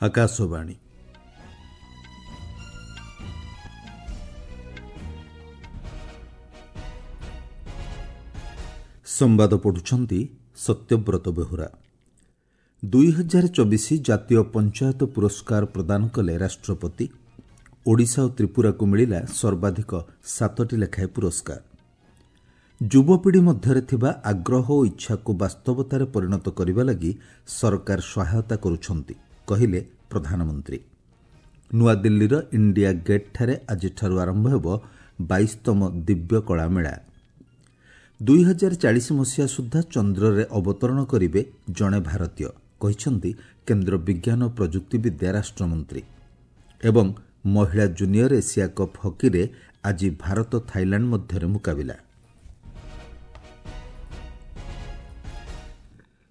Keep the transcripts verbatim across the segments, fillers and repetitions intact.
ଆକାଶବାଣୀ। ସମ୍ବାଦ ପଢୁଛନ୍ତି ସତ୍ୟବ୍ରତ ବେହୁରା। ଦୁଇ ହଜାର ଚବିଶ ଜାତୀୟ ପଞ୍ଚାୟତ ପୁରସ୍କାର ପ୍ରଦାନ କଲେ ରାଷ୍ଟ୍ରପତି। ଓଡ଼ିଶା ଓ ତ୍ରିପୁରାକୁ ମିଳିଲା ସର୍ବାଧିକ ସାତଟି ଲେଖାଏଁ ପୁରସ୍କାର। ଯୁବପିଢ଼ି ମଧ୍ୟରେ ଥିବା ଆଗ୍ରହ ଓ ଇଚ୍ଛାକୁ ବାସ୍ତବତାରେ ପରିଣତ କରିବା ଲାଗି ସରକାର ସହାୟତା କରୁଛନ୍ତି, କହିଲେ ପ୍ରଧାନମନ୍ତ୍ରୀ। ନୂଆଦିଲ୍ଲୀର ଇଣ୍ଡିଆ ଗେଟ୍ଠାରେ ଆଜିଠାରୁ ଆରମ୍ଭ ହେବ ବାଇଶତମ ଦିବ୍ୟ କଳା ମେଳା। ଦୁଇ ହଜାର ଚାଳିଶ ମସିହା ସୁଦ୍ଧା ଚନ୍ଦ୍ରରେ ଅବତରଣ କରିବେ ଜଣେ ଭାରତୀୟ, କହିଛନ୍ତି କେନ୍ଦ୍ର ବିଜ୍ଞାନ ଓ ପ୍ରଯୁକ୍ତିବିଦ୍ୟା ରାଷ୍ଟ୍ରମନ୍ତ୍ରୀ। ଏବଂ ମହିଳା ଜୁନିୟର ଏସିଆ କପ୍ ହକିରେ ଆଜି ଭାରତ ଥାଇଲାଣ୍ଡ ମଧ୍ୟରେ ମୁକାବିଲା।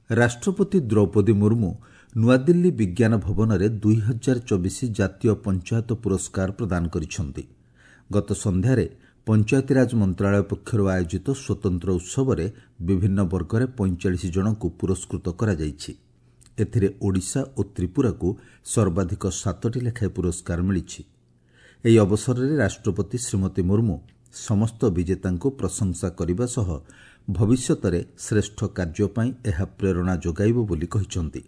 ରାଷ୍ଟ୍ରପତି ଦ୍ରୌପଦୀ ମୁର୍ମୁ ନୂଆଦିଲ୍ଲୀ ବିଜ୍ଞାନ ଭବନରେ ଦୁଇ ହଜାର ଚବିଶ ଜାତୀୟ ପଞ୍ଚାୟତ ପୁରସ୍କାର ପ୍ରଦାନ କରିଛନ୍ତି। ଗତ ସନ୍ଧ୍ୟାରେ ପଞ୍ଚାୟତିରାଜ ମନ୍ତ୍ରାଳୟ ପକ୍ଷରୁ ଆୟୋଜିତ ସ୍ୱତନ୍ତ୍ର ଉତ୍ସବରେ ବିଭିନ୍ନ ବର୍ଗରେ ପଇଁଚାଳିଶ ଜଣଙ୍କୁ ପୁରସ୍କୃତ କରାଯାଇଛି। ଏଥିରେ ଓଡ଼ିଶା ଓ ତ୍ରିପୁରାକୁ ସର୍ବାଧିକ ସାତଟି ଲେଖାଏଁ ପୁରସ୍କାର ମିଳିଛି। ଏହି ଅବସରରେ ରାଷ୍ଟ୍ରପତି ଶ୍ରୀମତୀ ମୁର୍ମୁ ସମସ୍ତ ବିଜେତାଙ୍କୁ ପ୍ରଶଂସା କରିବା ସହ ଭବିଷ୍ୟତରେ ଶ୍ରେଷ୍ଠ କାର୍ଯ୍ୟ ପାଇଁ ଏହା ପ୍ରେରଣା ଯୋଗାଇବ ବୋଲି କହିଛନ୍ତି।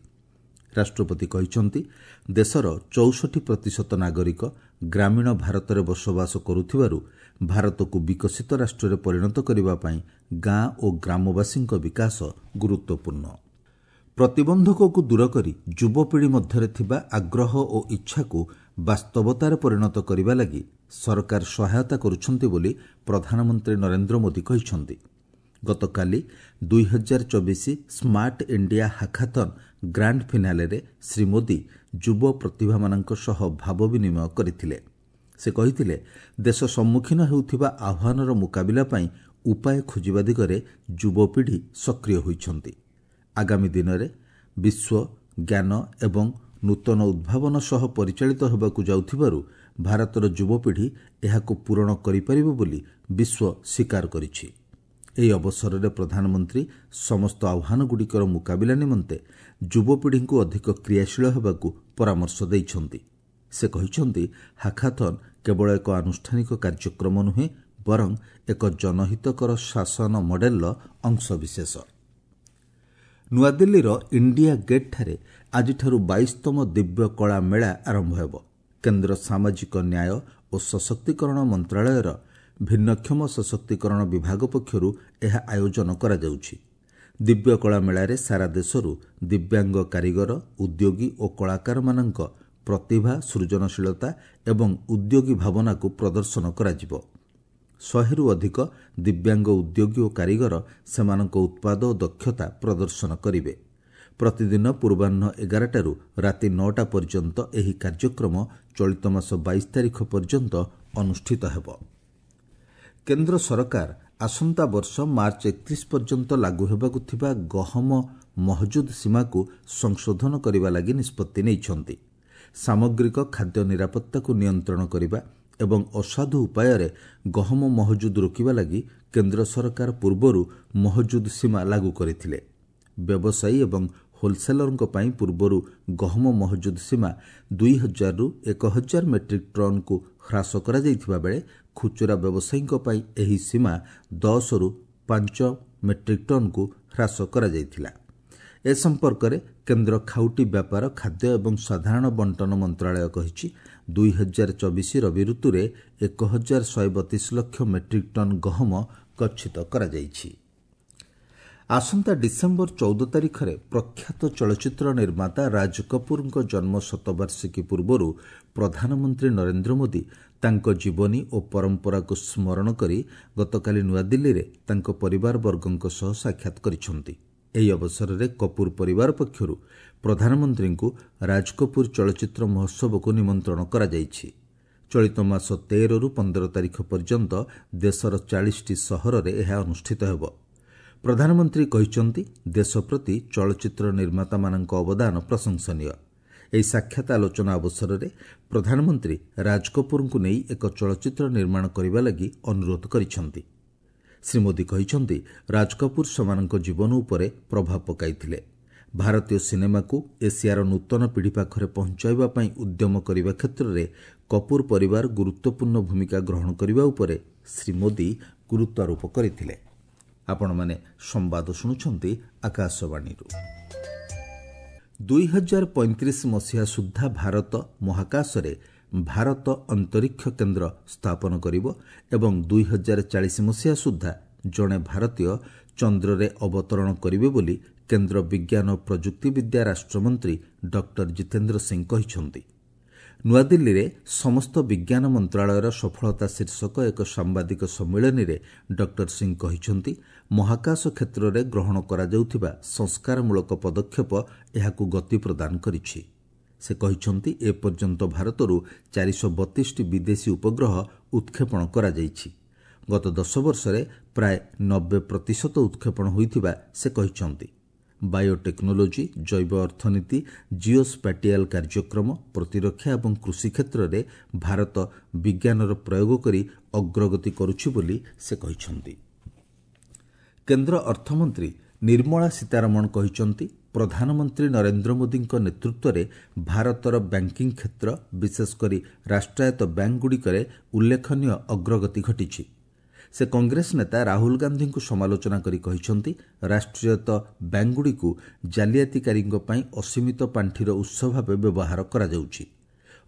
ରାଷ୍ଟ୍ରପତି କହିଛନ୍ତି, ଦେଶର ଚଉଷଠି ପ୍ରତିଶତ ନାଗରିକ ଗ୍ରାମୀଣ ଭାରତରେ ବସବାସ କରୁଥିବାରୁ ଭାରତକୁ ବିକଶିତ ରାଷ୍ଟ୍ରରେ ପରିଣତ କରିବା ପାଇଁ ଗାଁ ଓ ଗ୍ରାମବାସୀଙ୍କ ବିକାଶ ଗୁରୁତ୍ୱପୂର୍ଣ୍ଣ। ପ୍ରତିବନ୍ଧକକୁ ଦୂର କରି ଯୁବପିଢ଼ି ମଧ୍ୟରେ ଥିବା ଆଗ୍ରହ ଓ ଇଚ୍ଛାକୁ ବାସ୍ତବତାରେ ପରିଣତ କରିବା ଲାଗି ସରକାର ସହାୟତା କରୁଛନ୍ତି ବୋଲି ପ୍ରଧାନମନ୍ତ୍ରୀ ନରେନ୍ଦ୍ର ମୋଦି କହିଛନ୍ତି। ଗତକାଲି ଦୁଇ ହଜାର ଚବିଶ ସ୍ମାର୍ଟ ଇଣ୍ଡିଆ ହାକାଥନ୍ ଗ୍ରାଣ୍ଡ ଫିନାଲେରେ ଶ୍ରୀ ମୋଦି ଯୁବ ପ୍ରତିଭାମାନଙ୍କ ସହ ଭାବ ବିନିମୟ କରିଥିଲେ। ସେ କହିଥିଲେ, ଦେଶ ସମ୍ମୁଖୀନ ହେଉଥିବା ଆହ୍ୱାନର ମୁକାବିଲା ପାଇଁ ଉପାୟ ଖୋଜିବା ଦିଗରେ ଯୁବପିଢ଼ି ସକ୍ରିୟ ହୋଇଛନ୍ତି। ଆଗାମୀ ଦିନରେ ବିଶ୍ୱ ଜ୍ଞାନ ଏବଂ ନୂତନ ଉଦ୍ଭାବନ ସହ ପରିଚାଳିତ ହେବାକୁ ଯାଉଥିବାରୁ ଭାରତର ଯୁବପିଢ଼ି ଏହାକୁ ପୂରଣ କରିପାରିବ ବୋଲି ବିଶ୍ୱ ସ୍ୱୀକାର କରିଛି। ଏହି ଅବସରରେ ପ୍ରଧାନମନ୍ତ୍ରୀ ସମସ୍ତ ଆହ୍ୱାନଗୁଡ଼ିକର ମୁକାବିଲା ନିମନ୍ତେ ଯୁବପିଢ଼ିଙ୍କୁ ଅଧିକ କ୍ରିୟାଶୀଳ ହେବାକୁ ପରାମର୍ଶ ଦେଇଛନ୍ତି। ସେ କହିଛନ୍ତି, ହାକାଥନ୍ କେବଳ ଏକ ଆନୁଷ୍ଠାନିକ କାର୍ଯ୍ୟକ୍ରମ ନୁହେଁ, ବରଂ ଏକ ଜନହିତକର ଶାସନ ମଡେଲର ଅଂଶବିଶେଷ। ନୂଆଦିଲ୍ଲୀର ଇଣ୍ଡିଆ ଗେଟ୍ଠାରେ ଆଜିଠାରୁ ବାଇଶତମ ଦିବ୍ୟ କଳା ମେଳା ଆରମ୍ଭ ହେବ। କେନ୍ଦ୍ର ସାମାଜିକ ନ୍ୟାୟ ଓ ସଶକ୍ତିକରଣ ମନ୍ତ୍ରାଳୟର ଭିନ୍ନକ୍ଷମ ସଶକ୍ତିକରଣ ବିଭାଗ ପକ୍ଷରୁ ଏହା ଆୟୋଜନ କରାଯାଉଛି। ଦିବ୍ୟ କଳା ମେଳାରେ ସାରା ଦେଶରୁ ଦିବ୍ୟାଙ୍ଗ କାରିଗର, ଉଦ୍ୟୋଗୀ ଓ କଳାକାରମାନଙ୍କ ପ୍ରତିଭା, ସୃଜନଶୀଳତା ଏବଂ ଉଦ୍ୟୋଗୀ ଭାବନାକୁ ପ୍ରଦର୍ଶନ କରାଯିବ। ଶହେରୁ ଅଧିକ ଦିବ୍ୟାଙ୍ଗ ଉଦ୍ୟୋଗୀ ଓ କାରିଗର ସେମାନଙ୍କ ଉତ୍ପାଦ ଓ ଦକ୍ଷତା ପ୍ରଦର୍ଶନ କରିବେ। ପ୍ରତିଦିନ ପୂର୍ବାହ୍ନ ଏଗାରଟାରୁ ରାତି ନଅଟା ପର୍ଯ୍ୟନ୍ତ ଏହି କାର୍ଯ୍ୟକ୍ରମ ଚଳିତ ମାସ ବାଇଶ ତାରିଖ ପର୍ଯ୍ୟନ୍ତ ଅନୁଷ୍ଠିତ ହେବ। କେନ୍ଦ୍ର ସରକାର ଆସନ୍ତା ବର୍ଷ ମାର୍ଚ୍ଚ ଏକତ୍ରିଶ ପର୍ଯ୍ୟନ୍ତ ଲାଗୁ ହେବାକୁ ଥିବା ଗହମ ମହଜୁଦ ସୀମାକୁ ସଂଶୋଧନ କରିବା ଲାଗି ନିଷ୍ପତ୍ତି ନେଇଛନ୍ତି। ସାମଗ୍ରିକ ଖାଦ୍ୟ ନିରାପତ୍ତାକୁ ନିୟନ୍ତ୍ରଣ କରିବା ଏବଂ ଅସାଧୁ ଉପାୟରେ ଗହମ ମହଜୁଦ ରୋକିବା ଲାଗି କେନ୍ଦ୍ର ସରକାର ପୂର୍ବରୁ ମହଜୁଦ ସୀମା ଲାଗୁ କରିଥିଲେ। ବ୍ୟବସାୟୀ ଏବଂ ହୋଲସେଲରଙ୍କ ପାଇଁ ପୂର୍ବରୁ ଗହମ ମହଜୁଦ ସୀମା ଦୁଇ ହଜାରରୁ ଏକ ହଜାର ମେଟ୍ରିକ୍ ଟନ୍କୁ ହ୍ରାସ କରାଯାଇଥିବା ବେଳେ ଖୁଚୁରା ବ୍ୟବସାୟୀଙ୍କ ପାଇଁ ଏହି ସୀମା ଦଶରୁ ପାଞ୍ଚ ମେଟ୍ରିକ୍ ଟନ୍କୁ ହ୍ରାସ କରାଯାଇଥିଲା। ଏ ସମ୍ପର୍କରେ କେନ୍ଦ୍ର ଖାଉଟି ବ୍ୟାପାର, ଖାଦ୍ୟ ଏବଂ ସାଧାରଣ ବଣ୍ଟନ ମନ୍ତ୍ରାଳୟ କହିଛି, ଦୁଇ ହଜାର ଚବିଶ ରବି ଋତୁରେ ଏକ ହଜାର ଶହେ ବତିଶ ଲକ୍ଷ ମେଟ୍ରିକ୍ ଟନ୍ ଗହମ ଗଚ୍ଛିତ କରାଯାଇଛି। ଆସନ୍ତା ଡିସେମ୍ବର ଚଉଦ ତାରିଖରେ ପ୍ରଖ୍ୟାତ ଚଳଚ୍ଚିତ୍ର ନିର୍ମାତା ରାଜ କପୁରଙ୍କ ଜନ୍ମ ଶତବାର୍ଷିକୀ ପୂର୍ବରୁ ପ୍ରଧାନମନ୍ତ୍ରୀ ନରେନ୍ଦ୍ର ମୋଦି ତାଙ୍କ ଜୀବନୀ ଓ ପରମ୍ପରାକୁ ସ୍ମରଣ କରି ଗତକାଲି ନୂଆଦିଲ୍ଲୀରେ ତାଙ୍କ ପରିବାରବର୍ଗଙ୍କ ସହ ସାକ୍ଷାତ କରିଛନ୍ତି। ଏହି ଅବସରରେ କପୁର ପରିବାର ପକ୍ଷରୁ ପ୍ରଧାନମନ୍ତ୍ରୀଙ୍କୁ ରାଜ କପୁର ଚଳଚ୍ଚିତ୍ର ମହୋତ୍ସବକୁ ନିମନ୍ତ୍ରଣ କରାଯାଇଛି। ଚଳିତ ମାସ ତେରରୁ ପନ୍ଦର ତାରିଖ ପର୍ଯ୍ୟନ୍ତ ଦେଶର ଚାଳିଶଟି ସହରରେ ଏହା ଅନୁଷ୍ଠିତ ହେବ। ପ୍ରଧାନମନ୍ତ୍ରୀ କହିଛନ୍ତି, ଦେଶ ପ୍ରତି ଚଳଚ୍ଚିତ୍ର ନିର୍ମାତାମାନଙ୍କ ଅବଦାନ ପ୍ରଶଂସନୀୟ। ଏହି ସାକ୍ଷାତ ଆଲୋଚନା ଅବସରରେ ପ୍ରଧାନମନ୍ତ୍ରୀ ରାଜ କପୁରଙ୍କୁ ନେଇ ଏକ ଚଳଚ୍ଚିତ୍ର ନିର୍ମାଣ କରିବା ଲାଗି ଅନୁରୋଧ କରିଛନ୍ତି। ଶ୍ରୀ ମୋଦି କହିଛନ୍ତି, ରାଜ କପୁର ସେମାନଙ୍କ ଜୀବନ ଉପରେ ପ୍ରଭାବ ପକାଇଥିଲେ। ଭାରତୀୟ ସିନେମାକୁ ଏସିଆର ନୂତନ ପିଢ଼ି ପାଖରେ ପହଞ୍ଚାଇବା ପାଇଁ ଉଦ୍ୟମ କରିବା କ୍ଷେତ୍ରରେ କପୁର ପରିବାର ଗୁରୁତ୍ୱପୂର୍ଣ୍ଣ ଭୂମିକା ଗ୍ରହଣ କରିବା ଉପରେ ଶ୍ରୀ ମୋଦି ଗୁରୁତ୍ୱାରୋପ କରିଥିଲେ। ଆପଣମାନେ ସମ୍ବାଦ ଶୁଣୁଛନ୍ତି ଆକାଶବାଣୀରୁ। ଦୁଇ ହଜାର ପଇଁତିରିଶ ମସିହା ସୁଦ୍ଧା ଭାରତ ମହାକାଶରେ ଭାରତ ଅନ୍ତରୀକ୍ଷ କେନ୍ଦ୍ର ସ୍ଥାପନ କରିବ ଏବଂ ଦୁଇ ହଜାର ଚାଳିଶ ମସିହା ସୁଦ୍ଧା ଜଣେ ଭାରତୀୟ ଚନ୍ଦ୍ରରେ ଅବତରଣ କରିବେ ବୋଲି କେନ୍ଦ୍ର ବିଜ୍ଞାନ ଓ ପ୍ରଯୁକ୍ତିବିଦ୍ୟା ରାଷ୍ଟ୍ରମନ୍ତ୍ରୀ ଡକ୍ଟର ଜିତେନ୍ଦ୍ର ସିଂ କହିଛନ୍ତି। ନୂଆଦିଲ୍ଲୀରେ ସମସ୍ତ ବିଜ୍ଞାନ ମନ୍ତ୍ରାଳୟର ସଫଳତା ଶୀର୍ଷକ ଏକ ସାମ୍ବାଦିକ ସମ୍ମିଳନୀରେ ଡକ୍ଟର ସିଂ କହିଛନ୍ତି, ମହାକାଶ କ୍ଷେତ୍ରରେ ଗ୍ରହଣ କରାଯାଉଥିବା ସଂସ୍କାରମୂଳକ ପଦକ୍ଷେପ ଏହାକୁ ଗତି ପ୍ରଦାନ କରିଛି। ସେ କହିଛନ୍ତି, ଏପର୍ଯ୍ୟନ୍ତ ଭାରତରୁ ଚାରିଶହ ବତିଶଟି ବିଦେଶୀ ଉପଗ୍ରହ ଉତ୍କ୍ଷେପଣ କରାଯାଇଛି। ଗତ ଦଶ ବର୍ଷରେ ପ୍ରାୟ ନବେ ପ୍ରତିଶତ ଉତ୍କ୍ଷେପଣ ହୋଇଥିବା ସେ କହିଛନ୍ତି। ବାୟୋଟେକ୍ନୋଲୋଜି, ଜୈବ ଅର୍ଥନୀତି, ଜିଓ ସ୍ପାଟିଆଲ କାର୍ଯ୍ୟକ୍ରମ, ପ୍ରତିରକ୍ଷା ଏବଂ କୃଷି କ୍ଷେତ୍ରରେ ଭାରତ ବିଜ୍ଞାନର ପ୍ରୟୋଗ କରି ଅଗ୍ରଗତି କରୁଛି ବୋଲି ସେ କହିଛନ୍ତି। କେନ୍ଦ୍ର ଅର୍ଥମନ୍ତ୍ରୀ ନିର୍ମଳା ସୀତାରମଣ କହିଛନ୍ତି, ପ୍ରଧାନମନ୍ତ୍ରୀ ନରେନ୍ଦ୍ର ମୋଦିଙ୍କ ନେତୃତ୍ୱରେ ଭାରତର ବ୍ୟାଙ୍କିଂ କ୍ଷେତ୍ର, ବିଶେଷକରି ରାଷ୍ଟ୍ରାୟତ୍ତ ବ୍ୟାଙ୍କଗୁଡ଼ିକରେ ଉଲ୍ଲେଖନୀୟ ଅଗ୍ରଗତି ଘଟିଛି। ସେ କଂଗ୍ରେସ ନେତା ରାହୁଲ ଗାନ୍ଧୀଙ୍କୁ ସମାଲୋଚନା କରି କହିଛନ୍ତି, ରାଷ୍ଟ୍ରାୟତ୍ତ ବ୍ୟାଙ୍କଗୁଡ଼ିକୁ ଜାଲିଆତିକାରୀଙ୍କ ପାଇଁ ଅସୀମିତ ପାଣ୍ଠିର ଉତ୍ସ ଭାବେ ବ୍ୟବହାର କରାଯାଉଛି।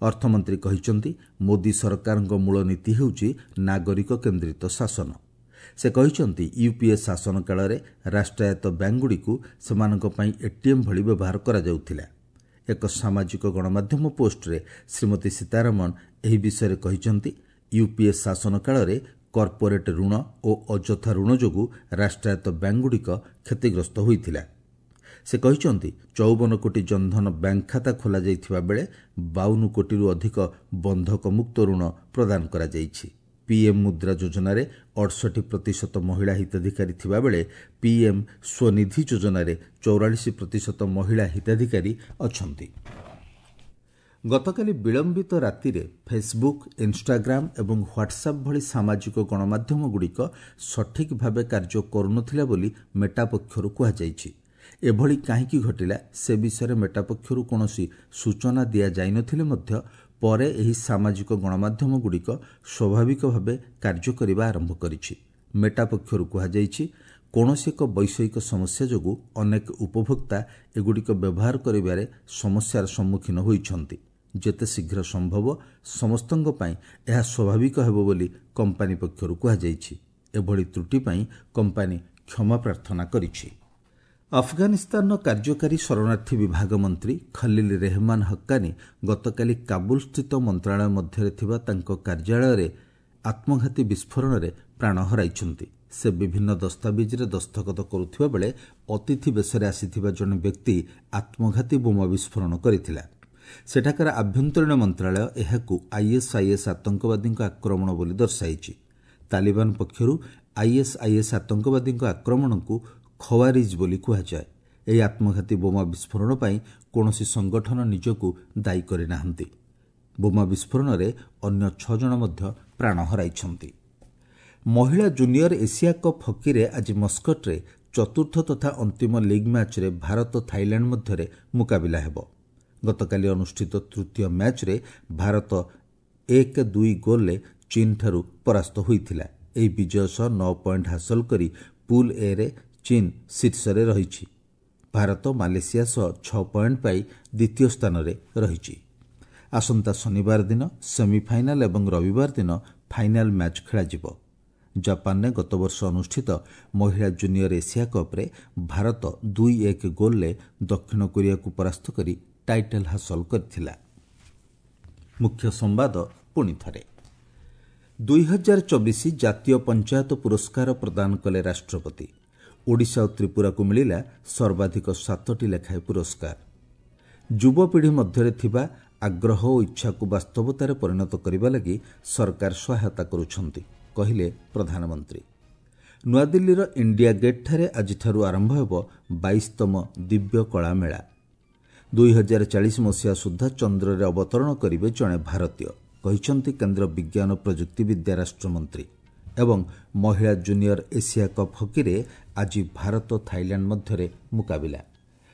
ଅର୍ଥମନ୍ତ୍ରୀ କହିଛନ୍ତି, ମୋଦି ସରକାରଙ୍କ ମୂଳ ନୀତି ହେଉଛି ନାଗରିକ କେନ୍ଦ୍ରିତ ଶାସନ। ସେ କହିଛନ୍ତି, ୟୁପିଏ ଶାସନ କାଳରେ ରାଷ୍ଟ୍ରାୟତ୍ତ ବ୍ୟାଙ୍କଗୁଡ଼ିକୁ ସେମାନଙ୍କ ପାଇଁ ଏଟିଏମ୍ ଭଳି ବ୍ୟବହାର କରାଯାଉଥିଲା। ଏକ ସାମାଜିକ ଗଣମାଧ୍ୟମ ପୋଷ୍ଟରେ ଶ୍ରୀମତୀ ସୀତାରମଣ ଏହି ବିଷୟରେ କହିଛନ୍ତି, ୟୁପିଏ ଶାସନ କାଳରେ କର୍ପୋରେଟ୍ ଋଣ ଓ ଅଯଥା ଋଣ ଯୋଗୁଁ ରାଷ୍ଟ୍ରାୟତ୍ତ ବ୍ୟାଙ୍କଗୁଡ଼ିକ କ୍ଷତିଗ୍ରସ୍ତ ହୋଇଥିଲା। ସେ କହିଛନ୍ତି, ଚଉବନ କୋଟି ଜନଧନ ବ୍ୟାଙ୍କ ଖାତା ଖୋଲାଯାଇଥିବା ବେଳେ ବାଉନ କୋଟିରୁ ଅଧିକ ବନ୍ଧକମୁକ୍ତ ଋଣ ପ୍ରଦାନ କରାଯାଇଛି। ପିଏମ୍ ମୁଦ୍ରା ଯୋଜନାରେ ଅଠଷଠି ପ୍ରତିଶତ ମହିଳା ହିତାଧିକାରୀ ଥିବାବେଳେ ପିଏମ୍ ସ୍ୱନିଧି ଯୋଜନାରେ ଚଉରାଳିଶ ପ୍ରତିଶତ ମହିଳା ହିତାଧିକାରୀ ଅଛନ୍ତି। ଗତକାଲି ବିଳମ୍ବିତ ରାତିରେ ଫେସବୁକ୍, ଇନ୍ଷ୍ଟାଗ୍ରାମ ଏବଂ ହ୍ୱାଟ୍ସଆପ୍ ଭଳି ସାମାଜିକ ଗଣମାଧ୍ୟମଗୁଡ଼ିକ ସଠିକ୍ ଭାବେ କାର୍ଯ୍ୟ କରୁନଥିଲା ବୋଲି ମେଟା ପକ୍ଷରୁ କୁହାଯାଇଛି। ଏଭଳି କାହିଁକି ଘଟିଲା ସେ ବିଷୟରେ ମେଟା ପକ୍ଷରୁ କୌଣସି ସୂଚନା ଦିଆଯାଇନଥିଲେ ମଧ୍ୟ ପରେ ଏହି ସାମାଜିକ ଗଣମାଧ୍ୟମଗୁଡ଼ିକ ସ୍ୱାଭାବିକ ଭାବେ କାର୍ଯ୍ୟ କରିବା ଆରମ୍ଭ କରିଛି। ମେଟା ପକ୍ଷରୁ କୁହାଯାଇଛି, କୌଣସି ଏକ ବୈଷୟିକ ସମସ୍ୟା ଯୋଗୁଁ ଅନେକ ଉପଭୋକ୍ତା ଏଗୁଡ଼ିକ ବ୍ୟବହାର କରିବାରେ ସମସ୍ୟାର ସମ୍ମୁଖୀନ ହୋଇଛନ୍ତି। ଯେତେ ଶୀଘ୍ର ସମ୍ଭବ ସମସ୍ତଙ୍କ ପାଇଁ ଏହା ସ୍ୱାଭାବିକ ହେବ ବୋଲି କମ୍ପାନୀ ପକ୍ଷରୁ କୁହାଯାଇଛି। ଏଭଳି ତ୍ରୁଟି ପାଇଁ କମ୍ପାନୀ କ୍ଷମା ପ୍ରାର୍ଥନା କରିଛି। ଆଫଗାନିସ୍ତାନର କାର୍ଯ୍ୟକାରୀ ଶରଣାର୍ଥୀ ବିଭାଗ ମନ୍ତ୍ରୀ ଖଲିଲ ରେହମାନ ହକ୍କାନୀ ଗତକାଲି କାବୁଲସ୍ଥିତ ମନ୍ତ୍ରଣାଳୟ ମଧ୍ୟରେ ଥିବା ତାଙ୍କ କାର୍ଯ୍ୟାଳୟରେ ଆତ୍ମଘାତୀ ବିସ୍ଫୋରଣରେ ପ୍ରାଣ ହରାଇଛନ୍ତି। ସେ ବିଭିନ୍ନ ଦସ୍ତାବିଜରେ ଦସ୍ତଖତ କରୁଥିବା ବେଳେ ଅତିଥି ବେଶରେ ଆସିଥିବା ଜଣେ ବ୍ୟକ୍ତି ଆତ୍ମଘାତୀ ବୋମା ବିସ୍ଫୋରଣ କରିଥିଲା। ସେଠାକାର ଆଭ୍ୟନ୍ତରୀଣ ମନ୍ତ୍ରଣାଳୟ ଏହାକୁ ଆଇଏସ୍ଆଇଏସ୍ ଆତଙ୍କବାଦୀଙ୍କ ଆକ୍ରମଣ ବୋଲି ଦର୍ଶାଇଛି। ତାଲିବାନ ପକ୍ଷରୁ ଆଇଏସ୍ଆଇଏସ୍ ଆତଙ୍କବାଦୀଙ୍କ ଆକ୍ରମଣକୁ ଖୱାରିଜ୍ ବୋଲି କୁହାଯାଏ। ଏହି ଆତ୍ମଘାତୀ ବୋମା ବିସ୍ଫୋରଣ ପାଇଁ କୌଣସି ସଂଗଠନ ନିଜକୁ ଦାୟୀ କରିନାହାନ୍ତି। ବୋମା ବିସ୍ଫୋରଣରେ ଅନ୍ୟ ଛଅ ଜଣ ମଧ୍ୟ ପ୍ରାଣ ହରାଇଛନ୍ତି। ମହିଳା ଜୁନିୟର ଏସିଆ କପ୍ ହକିରେ ଆଜି ମସ୍କଟରେ ଚତୁର୍ଥ ତଥା ଅନ୍ତିମ ଲିଗ୍ ମ୍ୟାଚ୍ରେ ଭାରତ ଥାଇଲାଣ୍ଡ ମଧ୍ୟରେ ମୁକାବିଲା ହେବ। ଗତକାଲି ଅନୁଷ୍ଠିତ ତୃତୀୟ ମ୍ୟାଚ୍ରେ ଭାରତ ଏକ ଦୁଇ ଗୋଲ୍ରେ ଚୀନ୍ଠାରୁ ପରାସ୍ତ ହୋଇଥିଲା। ଏହି ବିଜୟ ସହ ନଅ ପଏଣ୍ଟ ହାସଲ କରି ପୁଲ୍ ଏରେ ଚୀନ୍ ଶୀର୍ଷରେ ରହିଛି। ଭାରତ ମାଲେସିଆ ସହ ଛଅ ପଏଣ୍ଟ ପାଇ ଦ୍ୱିତୀୟ ସ୍ଥାନରେ ରହିଛି। ଆସନ୍ତା ଶନିବାର ଦିନ ସେମିଫାଇନାଲ୍ ଏବଂ ରବିବାର ଦିନ ଫାଇନାଲ୍ ମ୍ୟାଚ୍ ଖେଳାଯିବ। ଜାପାନରେ ଗତବର୍ଷ ଅନୁଷ୍ଠିତ ମହିଳା ଜୁନିୟର ଏସିଆ କପ୍ରେ ଭାରତ ଦୁଇ ଏକ ଗୋଲ୍ରେ ଦକ୍ଷିଣ କୋରିଆକୁ ପରାସ୍ତ କରି ଟାଇଟଲ୍ ହାସଲ କରିଥିଲା। ମୁଖ୍ୟ ସମ୍ବାଦ ପୁଣି ଥରେ। ଦୁଇ ହଜାର ଚବିଶ ଜାତୀୟ ପଞ୍ଚାୟତ ପୁରସ୍କାର ପ୍ରଦାନ କଲେ ରାଷ୍ଟ୍ରପତି। ଓଡ଼ିଶା ଓ ତ୍ରିପୁରାକୁ ମିଳିଲା ସର୍ବାଧିକ ସାତଟି ଲେଖାଏଁ ପୁରସ୍କାର। ଯୁବପିଢ଼ି ମଧ୍ୟରେ ଥିବା ଆଗ୍ରହ ଓ ଇଚ୍ଛାକୁ ବାସ୍ତବତାରେ ପରିଣତ କରିବା ଲାଗି ସରକାର ସହାୟତା କରୁଛନ୍ତି, କହିଲେ ପ୍ରଧାନମନ୍ତ୍ରୀ। ନୂଆଦିଲ୍ଲୀର ଇଣ୍ଡିଆ ଗେଟ୍ଠାରେ ଆଜିଠାରୁ ଆରମ୍ଭ ହେବ ବାଇଶତମ ଦିବ୍ୟ କଳା ମେଳା। ଦୁଇ ହଜାର ଚାଳିଶ ମସିହା ସୁଦ୍ଧା ଚନ୍ଦ୍ରରେ ଅବତରଣ କରିବେ ଜଣେ ଭାରତୀୟ, କହିଛନ୍ତି କେନ୍ଦ୍ର ବିଜ୍ଞାନ ପ୍ରଯୁକ୍ତିବିଦ୍ୟା ରାଷ୍ଟ୍ରମନ୍ତ୍ରୀ। ଏବଂ ମହିଳା ଜୁନିୟର ଏସିଆ କପ୍ ହକିରେ ଆଜି ଭାରତ ଥାଇଲାଣ୍ଡ ମଧ୍ୟରେ ମୁକାବିଲା।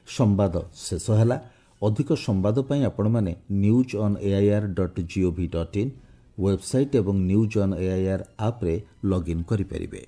ସମ୍ବାଦ ଶେଷ ହେଲା। ଅଧିକ ସମ୍ବାଦ ପାଇଁ ଆପଣମାନେ news on AIR dot GOV dot in website ଏବଂ ନ୍ୟୁଜ୍ ଅନ୍ ଏଆଇଆର୍ ଆପ୍ରେ ଲଗ୍ଇନ୍ କରିପାରିବେ।